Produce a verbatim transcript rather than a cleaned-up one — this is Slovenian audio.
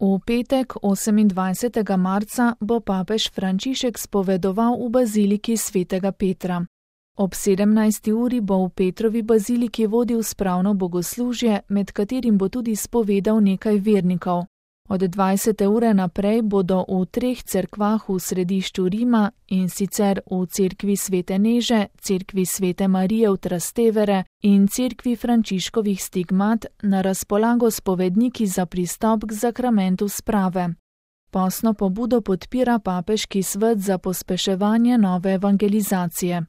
V petek, osemindvajsetega marca, bo papež Frančišek spovedoval v baziliki svetega Petra. Ob sedemnajsti uri bo v Petrovi baziliki vodil spravno bogoslužje, med katerim bo tudi spovedal nekaj vernikov. Od dvajsete ure naprej bodo v treh cerkvah v središču Rima, in sicer v cerkvi svete Neže, cerkvi svete Marije v Trastevere in cerkvi Frančiškovih stigmat, na razpolago spovedniki za pristop k zakramentu sprave. Postno pobudo podpira Papeški svet za pospeševanje nove evangelizacije.